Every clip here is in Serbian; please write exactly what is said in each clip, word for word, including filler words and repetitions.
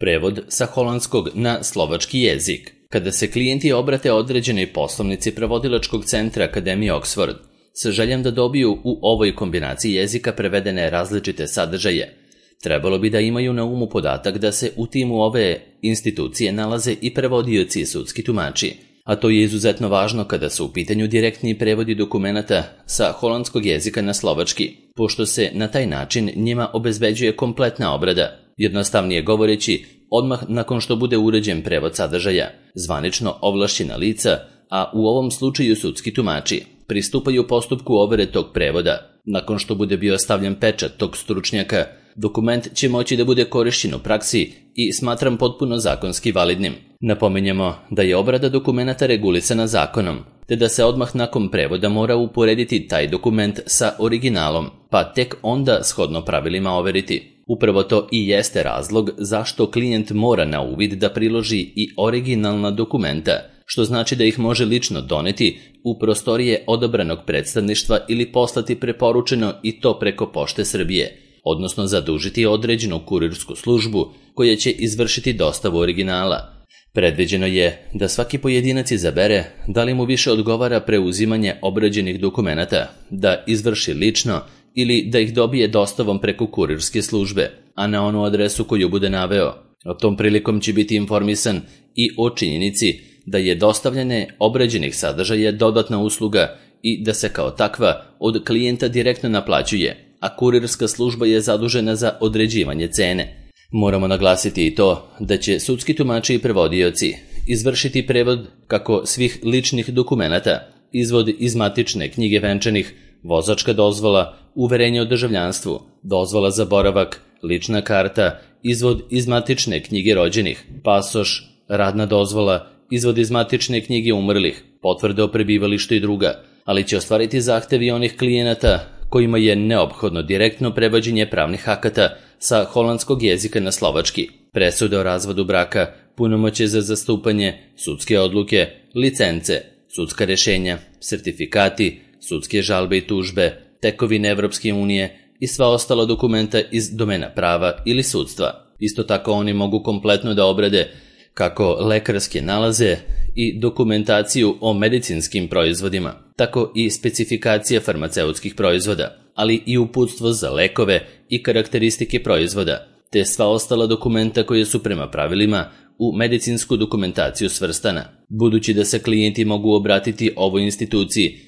Prevod sa holandskog na slovački jezik. Kada se klijenti obrate određenoj poslovnici prevodilačkog centra Akademije Oxford sa željom da dobiju u ovoj kombinaciji jezika prevedene različite sadržaje, trebalo bi da imaju na umu podatak da se u timu ove institucije nalaze i prevodioci i sudski tumači, a to je izuzetno važno kada su u pitanju direktni prevodi dokumenata sa holandskog jezika na slovački, pošto se na taj način njima obezbeđuje kompletna obrada. Jednostavnije govoreći, odmah nakon što bude uređen prevod sadržaja, zvanično ovlašćena lica, a u ovom slučaju sudski tumači, pristupaju postupku overe tog prevoda. Nakon što bude bio stavljen pečat tog stručnjaka, dokument će moći da bude korišćen u praksi i smatram potpuno zakonski validnim. Napominjemo da je obrada dokumenata regulisana zakonom, te da se odmah nakon prevoda mora uporediti taj dokument sa originalom, pa tek onda shodno pravilima overiti. Upravo to i jeste razlog zašto klijent mora na uvid da priloži i originalna dokumenta, što znači da ih može lično doneti u prostorije odabranog predstavništva ili poslati preporučeno i to preko Pošte Srbije, odnosno zadužiti određenu kurirsku službu koja će izvršiti dostavu originala. Predviđeno je da svaki pojedinac izabere da li mu više odgovara preuzimanje obrađenih dokumenata, da izvrši lično ili da ih dobije dostavom preko kurirske službe, a na onu adresu koju bude naveo. O tom prilikom će biti informisan i o činjenici da je dostavljanje obrađenih sadržaja dodatna usluga i da se kao takva od klijenta direktno naplaćuje, a kurirska služba je zadužena za određivanje cene. Moramo naglasiti i to da će sudski tumači i prevodioci izvršiti prevod kako svih ličnih dokumenata, izvod iz matične knjige venčanih, vozačka dozvola, uverenje o državljanstvu, dozvola za boravak, lična karta, izvod iz matične knjige rođenih, pasoš, radna dozvola, izvod iz matične knjige umrlih, potvrde o prebivalištu i druga, ali će ostvariti zahtevi onih klijenata kojima je neophodno direktno prevođenje pravnih akata sa holandskog jezika na slovački, presude o razvodu braka, punomoćje za zastupanje, sudske odluke, licence, sudska rešenja, sertifikati, sudske žalbe i tužbe, tekovine Evropske unije i sva ostala dokumenta iz domena prava ili sudstva. Isto tako oni mogu kompletno da obrade kako lekarske nalaze i dokumentaciju o medicinskim proizvodima, tako i specifikacije farmaceutskih proizvoda, ali i uputstvo za lekove i karakteristike proizvoda, te sva ostala dokumenta koje su prema pravilima u medicinsku dokumentaciju svrstana. Budući da se klijenti mogu obratiti ovoj instituciji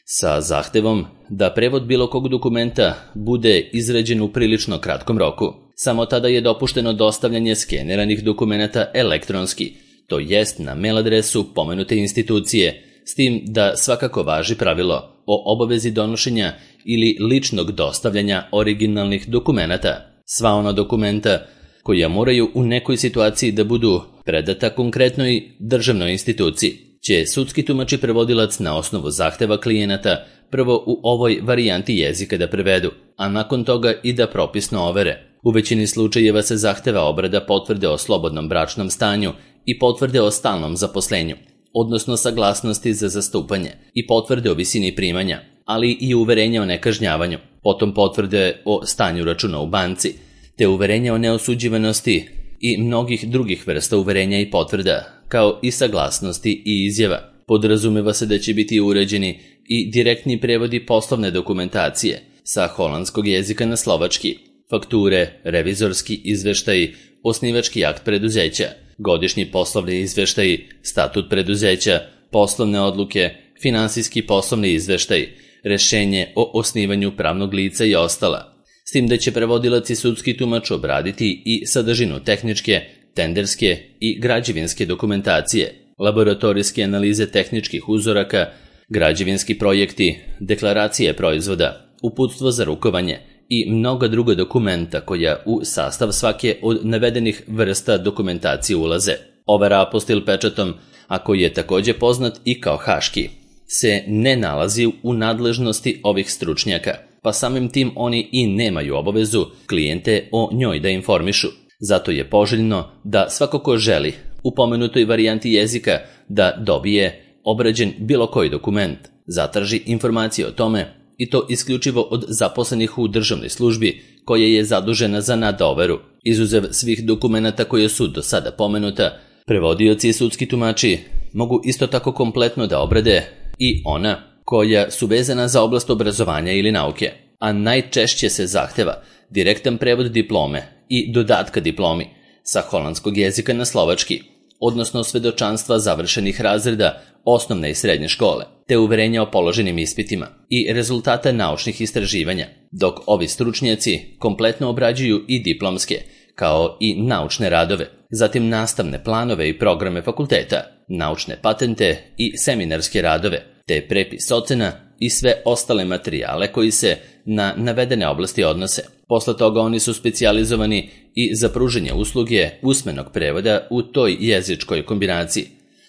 sa zahtevom da prevod bilo kog dokumenta bude izrađen u prilično kratkom roku, samo tada je dopušteno dostavljanje skeneranih dokumenata elektronski, to jest na mail adresu pomenute institucije, s tim da svakako važi pravilo o obavezi donošenja ili ličnog dostavljanja originalnih dokumenata. Sva ona dokumenta koja moraju u nekoj situaciji da budu predata konkretnoj državnoj instituciji, će sudski tumač i prevodilac na osnovu zahteva klijenata prvo u ovoj varijanti jezika da prevedu, a nakon toga i da propisno overe. U većini slučajeva se zahteva obrada potvrde o slobodnom bračnom stanju i potvrde o stalnom zaposlenju, odnosno saglasnosti za zastupanje i potvrde o visini primanja, ali i uverenja o nekažnjavanju, potom potvrde o stanju računa u banci, te uverenja o neosuđivanosti i mnogih drugih vrsta uverenja i potvrda, kao i saglasnosti i izjava. Podrazumeva se da će biti uređeni i direktni prevodi poslovne dokumentacije sa holandskog jezika na slovački, fakture, revizorski izveštaji, osnivački akt preduzeća, godišnji poslovni izveštaji, statut preduzeća, poslovne odluke, finansijski poslovni izveštaj, rešenje o osnivanju pravnog lica i ostala. S tim da će prevodilac i sudski tumač obraditi i sadržinu tehničke, tenderske i građevinske dokumentacije, laboratorijske analize tehničkih uzoraka, građevinski projekti, deklaracije proizvoda, uputstvo za rukovanje i mnoga druga dokumenta koja u sastav svake od navedenih vrsta dokumentacije ulaze. Overa apostil pečatom, a koji je takođe poznat i kao haški, se ne nalazi u nadležnosti ovih stručnjaka, pa samim tim oni i nemaju obavezu klijente o njoj da informišu. Zato je poželjno da svako ko želi u pomenutoj varijanti jezika da dobije obrađen bilo koji dokument, zatraži informacije o tome i to isključivo od zaposlenih u državnoj službi koja je zadužena za nadoveru. Izuzev svih dokumenata koje su do sada pomenuta, prevodioci i sudski tumači mogu isto tako kompletno da obrade i ona koja su vezana za oblast obrazovanja ili nauke, a najčešće se zahteva direktan prevod diplome i dodatka diplomi sa holandskog jezika na slovački, odnosno svedočanstva završenih razreda osnovne i srednje škole, te uverenja o položenim ispitima i rezultata naučnih istraživanja, dok ovi stručnjaci kompletno obrađuju i diplomske, kao i naučne radove, zatim nastavne planove i programe fakulteta, naučne patente i seminarske radove, te prepis ocena i sve ostale materijale koji se na navedene oblasti odnose. Posle toga oni su specijalizovani i za pružanje usluge usmenog prevoda u toj jezičkoj kombinaciji,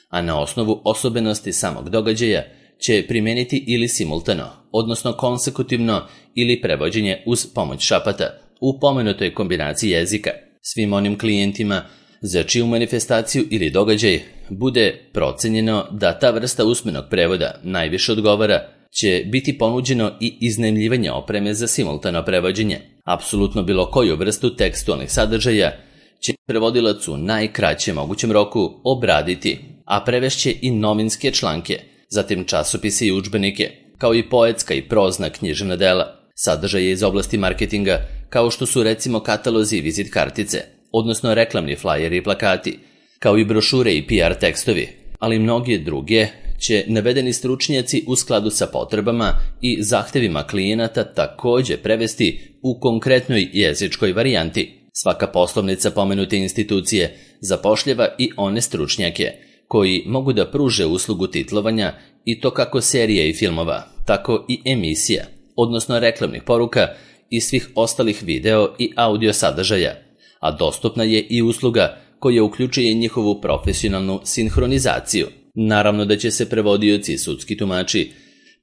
a na osnovu osobenosti samog događaja će primeniti ili simultano, odnosno konsekutivno ili prevođenje uz pomoć šapata u pomenutoj kombinaciji jezika. Svim onim klijentima za čiju manifestaciju ili događaj bude procenjeno da ta vrsta usmenog prevoda najviše odgovara, će biti ponuđeno i iznajmljivanje opreme za simultano prevođenje. Apsolutno bilo koju vrstu tekstualnih sadržaja će prevodilac u najkraćem mogućem roku obraditi, a prevešće i novinske članke, zatim časopise i udžbenike, kao i poetska i prozna književna dela, sadržaje iz oblasti marketinga, kao što su recimo katalozi i vizit kartice, odnosno reklamni flajeri i plakati, kao i brošure i P R tekstovi, ali mnoge druge će navedeni stručnjaci u skladu sa potrebama i zahtevima klijenata takođe prevesti u konkretnoj jezičkoj varijanti. Svaka poslovnica pomenute institucije zapošljava i one stručnjake koji mogu da pruže uslugu titlovanja i to kako serija i filmova, tako i emisija, odnosno reklamnih poruka i svih ostalih video i audio sadržaja, a dostupna je i usluga koja uključuje njihovu profesionalnu sinhronizaciju. Naravno da će se prevodioci i sudski tumači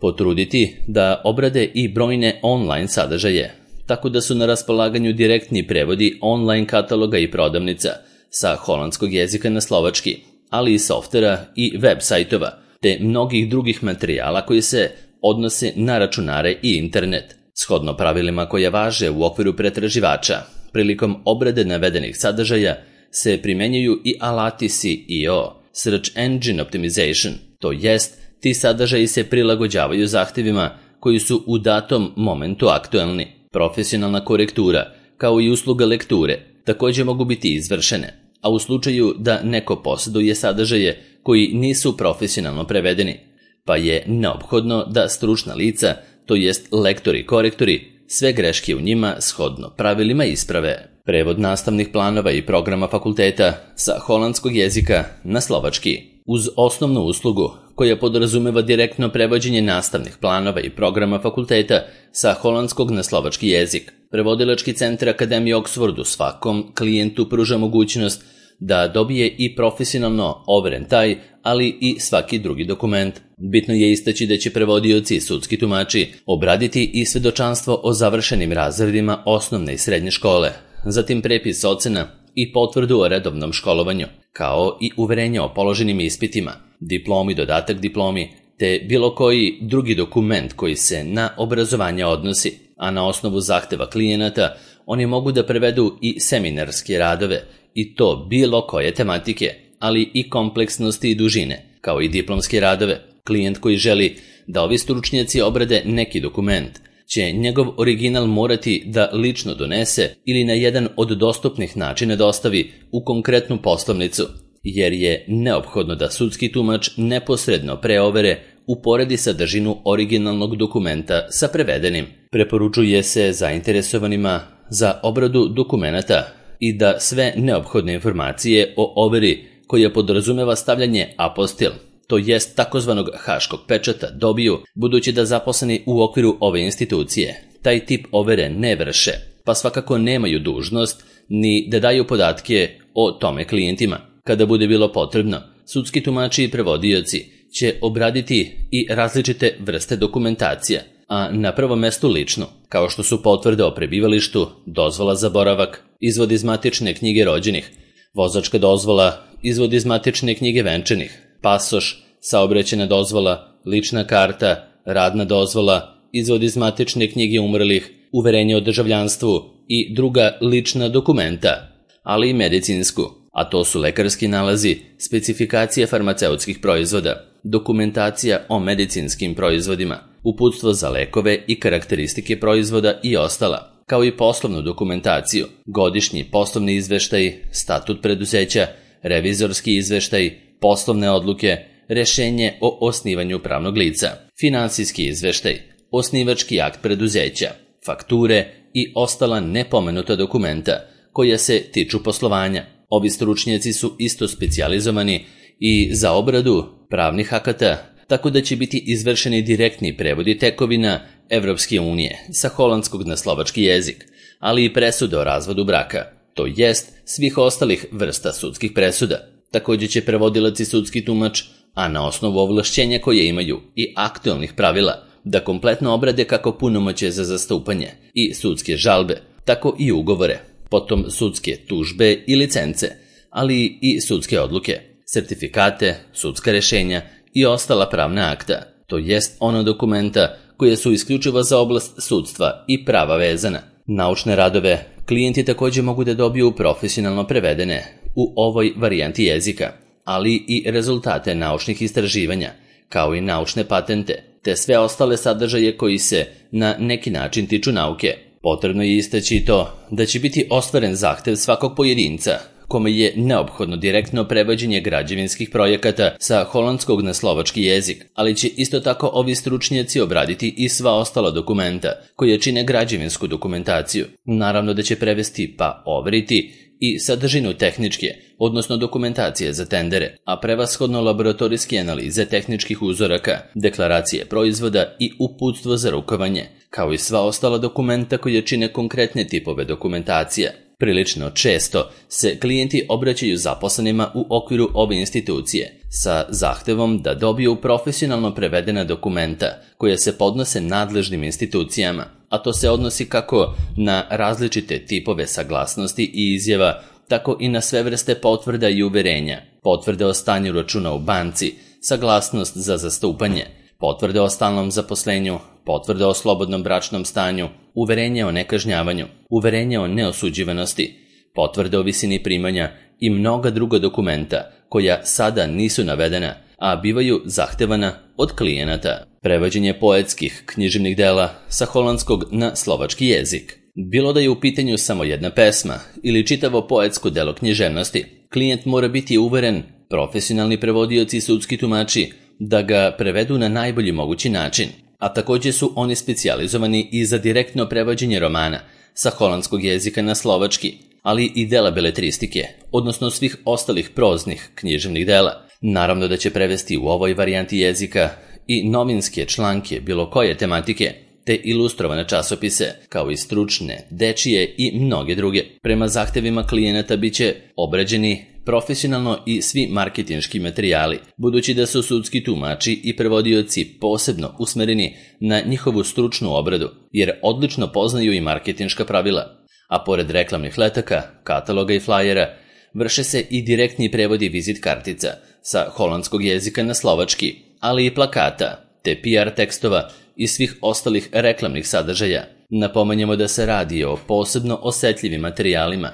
potruditi da obrade i brojne online sadržaje, tako da su na raspolaganju direktni prevodi online kataloga i prodavnica sa holandskog jezika na slovački, ali i softvera i web sajtova, te mnogih drugih materijala koji se odnose na računare i internet. Shodno pravilima koja važe u okviru pretraživača, prilikom obrade navedenih sadržaja se primenjuju i alati S E O, Search Engine Optimization, to jest ti sadržaji se prilagođavaju zahtevima koji su u datom momentu aktuelni. Profesionalna korektura, kao i usluga lekture, takođe mogu biti izvršene, a u slučaju da neko posjeduje sadržaje koji nisu profesionalno prevedeni, pa je neophodno da stručna lica, to jest lektori i korektori, sve greške u njima shodno pravilima isprave. Prevod nastavnih planova i programa fakulteta sa holandskog jezika na slovački, uz osnovnu uslugu koja podrazumeva direktno prevođenje nastavnih planova i programa fakulteta sa holandskog na slovački jezik. Prevodilački centar Akademije Oxfordu svakom klijentu pruža mogućnost da dobije i profesionalno overen taj, ali i svaki drugi dokument. Bitno je istaći da će prevodioci i sudski tumači obraditi i svedočanstvo o završenim razredima osnovne i srednje škole, zatim prepis ocena i potvrdu o redovnom školovanju, kao i uverenje o položenim ispitima, diplomi, dodatak diplomi, te bilo koji drugi dokument koji se na obrazovanje odnosi, a na osnovu zahteva klijenata oni mogu da prevedu i seminarske radove, i to bilo koje tematike, ali i kompleksnosti i dužine, kao i diplomske radove. Klijent koji želi da ovi stručnjaci obrade neki dokument će njegov original morati da lično donese ili na jedan od dostupnih načina dostavi u konkretnu poslovnicu, jer je neophodno da sudski tumač neposredno pre overe uporedi sadržinu originalnog dokumenta sa prevedenim. Preporučuje se zainteresovanima za obradu dokumenata i da sve neophodne informacije o overi koja podrazumeva stavljanje apostil, to jest takozvanog haškog pečata, dobiju, budući da zaposleni u okviru ove institucije taj tip overe ne vrše, pa svakako nemaju dužnost ni da daju podatke o tome klijentima. Kada bude bilo potrebno, sudski tumači i prevodioci će obraditi i različite vrste dokumentacija, a na prvom mestu ličnu, kao što su potvrde o prebivalištu, dozvola za boravak, izvod iz matične knjige rođenih, vozačka dozvola, izvod iz matične knjige venčanih, pasoš, saobraćajna dozvola, lična karta, radna dozvola, izvod iz matične knjige umrlih, uverenje o državljanstvu i druga lična dokumenta, ali i medicinsku, a to su lekarski nalazi, specifikacije farmaceutskih proizvoda, dokumentacija o medicinskim proizvodima, uputstvo za lekove i karakteristike proizvoda i ostala, kao i poslovnu dokumentaciju, godišnji poslovni izveštaj, statut preduzeća, revizorski izveštaj, poslovne odluke, rešenje o osnivanju pravnog lica, finansijski izveštaj, osnivački akt preduzeća, fakture i ostala nepomenuta dokumenta koja se tiču poslovanja. Ovi stručnjaci su isto specijalizovani i za obradu pravnih akata, tako da će biti izvršeni direktni prevodi tekovina Evropske unije sa holandskog na slovački jezik, ali i presude o razvodu braka, to jest svih ostalih vrsta sudskih presuda. Također će prevodilac i sudski tumač, a na osnovu ovlašćenja koje imaju i aktualnih pravila, da kompletno obrade kako punomoćje za zastupanje i sudske žalbe, tako i ugovore, potom sudske tužbe i licence, ali i sudske odluke, sertifikate, sudska rešenja i ostala pravna akta, to jest ono dokumenta koje su isključivo za oblast sudstva i prava vezana. Naučne radove klijenti također mogu da dobiju profesionalno prevedene u ovoj varijanti jezika, ali i rezultate naučnih istraživanja, kao i naučne patente, te sve ostale sadržaje koji se na neki način tiču nauke. Potrebno je istaći to da će biti ostvaren zahtev svakog pojedinca kome je neophodno direktno prevođenje građevinskih projekata sa holandskog na slovački jezik, ali će isto tako ovi stručnjaci obraditi i sva ostala dokumenta koje čine građevinsku dokumentaciju. Naravno da će prevesti pa overiti i sadržinu tehničke, odnosno dokumentacije za tendere, a prevashodno laboratorijske analize tehničkih uzoraka, deklaracije proizvoda i uputstvo za rukovanje, kao i sva ostala dokumenta koje čine konkretne tipove dokumentacije. Prilično često se klijenti obraćaju zaposlenima u okviru ove institucije sa zahtevom da dobiju profesionalno prevedena dokumenta koja se podnose nadležnim institucijama, a to se odnosi kako na različite tipove saglasnosti i izjava, tako i na sve vrste potvrda i uverenja, potvrde o stanju računa u banci, saglasnost za zastupanje, potvrde o stalnom zaposlenju, potvrde o slobodnom bračnom stanju, uverenje o nekažnjavanju, uverenje o neosuđivanosti, potvrde o visini primanja i mnoga druga dokumenta koja sada nisu navedena, a bivaju zahtevana od klijenata. Prevođenje poetskih književnih dela sa holandskog na slovački jezik. Bilo da je u pitanju samo jedna pesma ili čitavo poetsko delo književnosti, klijent mora biti uveren, profesionalni prevodioci i sudski tumači, da ga prevedu na najbolji mogući način, a također su oni specijalizovani i za direktno prevođenje romana sa holandskog jezika na slovački, ali i dela beletristike, odnosno svih ostalih proznih književnih dela. Naravno da će prevesti u ovoj varijanti jezika i novinske članke bilo koje tematike, te ilustrovane časopise, kao i stručne, dečije i mnoge druge. Prema zahtevima klijenata bit će obrađeni profesionalno i svi marketinški materijali, budući da su sudski tumači i prevodioci posebno usmereni na njihovu stručnu obradu, jer odlično poznaju i marketinška pravila. A pored reklamnih letaka, kataloga i flajera, vrše se i direktni prevodi vizit kartica sa holandskog jezika na slovački, ali i plakata, te P R tekstova i svih ostalih reklamnih sadržaja. Napomenjemo da se radi o posebno osetljivim materijalima,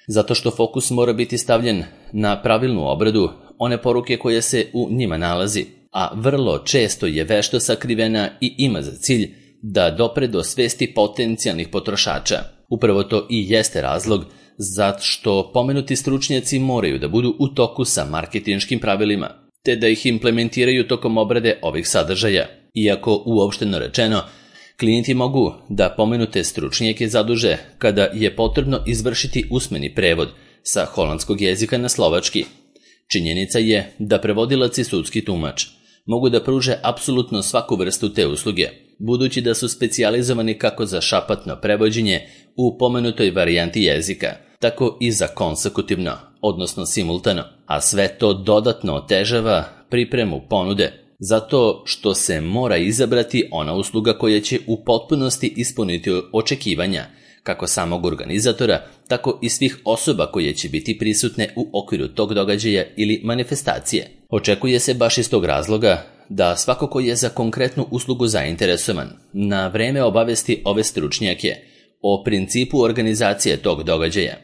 zato što fokus mora biti stavljen na pravilnu obradu one poruke koje se u njima nalazi, a vrlo često je vešto sakrivena i ima za cilj da dopre do svesti potencijalnih potrošača. Upravo to i jeste razlog zato što pomenuti stručnjaci moraju da budu u toku sa marketinškim pravilima, te da ih implementiraju tokom obrade ovih sadržaja. Iako uopšteno rečeno, klijenti mogu da pomenute stručnjake zaduže kada je potrebno izvršiti usmeni prevod sa holandskog jezika na slovački. Činjenica je da prevodilac i sudski tumač mogu da pruže apsolutno svaku vrstu te usluge, budući da su specijalizovani kako za šapatno prevođenje u pomenutoj varijanti jezika, tako i za konsekutivno, odnosno simultano, a sve to dodatno otežava pripremu ponude, zato što se mora izabrati ona usluga koja će u potpunosti ispuniti očekivanja, kako samog organizatora, tako i svih osoba koje će biti prisutne u okviru tog događaja ili manifestacije. Očekuje se baš iz tog razloga da svako ko je za konkretnu uslugu zainteresovan na vreme obavesti ove stručnjake o principu organizacije tog događaja,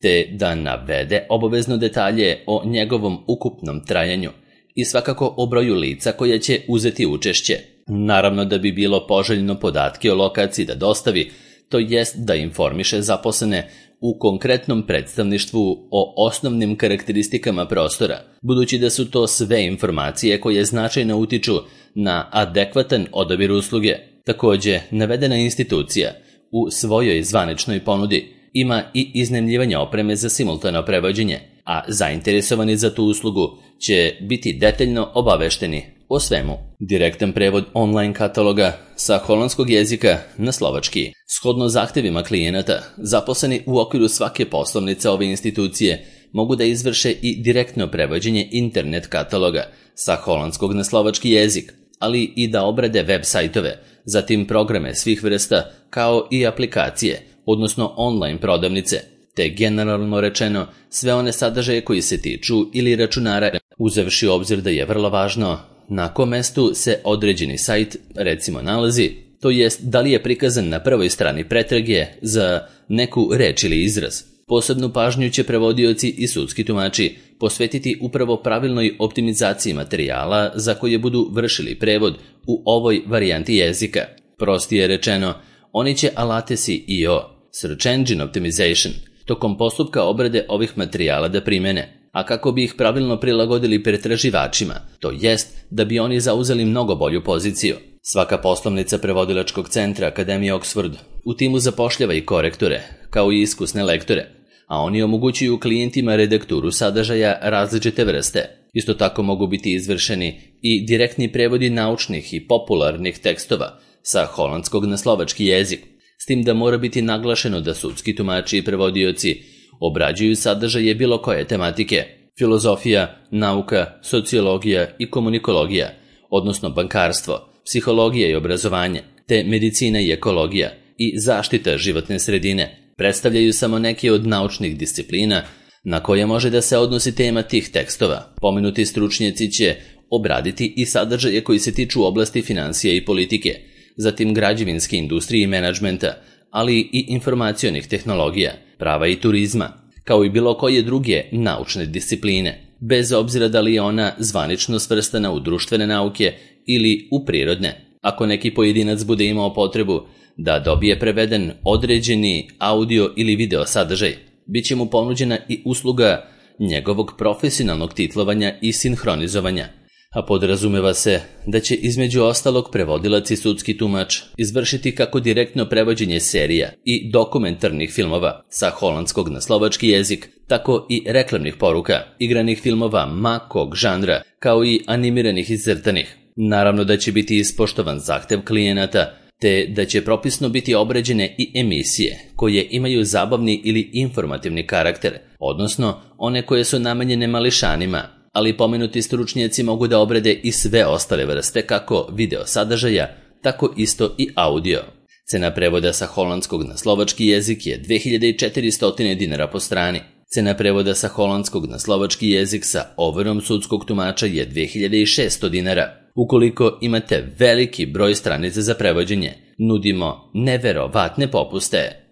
te da navede obavezno detalje o njegovom ukupnom trajanju i svakako o broju lica koja će uzeti učešće. Naravno da bi bilo poželjno podatke o lokaciji da dostavi, to jest da informiše zaposlene u konkretnom predstavništvu o osnovnim karakteristikama prostora, budući da su to sve informacije koje značajno utiču na adekvatan odabir usluge. Takođe, navedena institucija u svojoj zvaničnoj ponudi ima i iznajmljivanje opreme za simultano prevođenje, a zainteresovani za tu uslugu će biti detaljno obavešteni o svemu. Direktan prevod online kataloga sa holandskog jezika na slovački. Shodno zahtevima klijenata, zaposleni u okviru svake poslovnice ove institucije mogu da izvrše i direktno prevođenje internet kataloga sa holandskog na slovački jezik, ali i da obrade web sajtove, zatim programe svih vrsta kao i aplikacije, odnosno online prodavnice, te generalno rečeno sve one sadržaje koji se tiču ili računara, uzevši u obzir da je vrlo važno na kom mestu se određeni sajt recimo nalazi, to jest da li je prikazan na prvoj strani pretrage za neku reč ili izraz. Posebnu pažnju će prevodioci i sudski tumači posvetiti upravo pravilnoj optimizaciji materijala za koje budu vršili prevod u ovoj varijanti jezika. Prostije rečeno, oni će alate S E O, Search Engine Optimization, tokom postupka obrade ovih materijala da primene, a kako bi ih pravilno prilagodili pretraživačima, to jest da bi oni zauzeli mnogo bolju poziciju. Svaka poslovnica prevodilačkog centra Akademije Oxford u timu zapošljava i korektore, kao i iskusne lektore, a oni omogućuju klijentima redakturu sadržaja različite vrste. Isto tako mogu biti izvršeni i direktni prevodi naučnih i popularnih tekstova sa holandskog na slovački jezik, s tim da mora biti naglašeno da sudski tumači i prevodioci obrađuju sadržaje bilo koje tematike, filozofija, nauka, sociologija i komunikologija, odnosno bankarstvo, psihologija i obrazovanje, te medicina i ekologija i zaštita životne sredine predstavljaju samo neke od naučnih disciplina na koje može da se odnosi tema tih tekstova. Pomenuti stručnjaci će obraditi i sadržaje koji se tiču oblasti financija i politike, zatim građevinske industrije i menadžmenta, ali i informacionih tehnologija, prava i turizma, kao i bilo koje druge naučne discipline, bez obzira da li je ona zvanično svrstana u društvene nauke ili u prirodne. Ako neki pojedinac bude imao potrebu da dobije preveden određeni audio ili video sadržaj, bit će mu ponuđena i usluga njegovog profesionalnog titlovanja i sinhronizovanja, a podrazumeva se da će između ostalog prevodilac i sudski tumač izvršiti kako direktno prevođenje serija i dokumentarnih filmova sa holandskog na slovački jezik, tako i reklamnih poruka, igranih filmova ma kog žanra, kao i animiranih i crtanih. Naravno da će biti ispoštovan zahtev klijenata, te da će propisno biti obrađene i emisije koje imaju zabavni ili informativni karakter, odnosno one koje su namenjene mališanima, ali pomenuti stručnjaci mogu da obrade i sve ostale vrste kako video sadržaja, tako isto i audio. Cena prevoda sa holandskog na slovački jezik je dve hiljade četiristo dinara po strani. Cena prevoda sa holandskog na slovački jezik sa overom sudskog tumača je dve hiljade šesto dinara. Ukoliko imate veliki broj stranica za prevođenje, nudimo neverovatne popuste.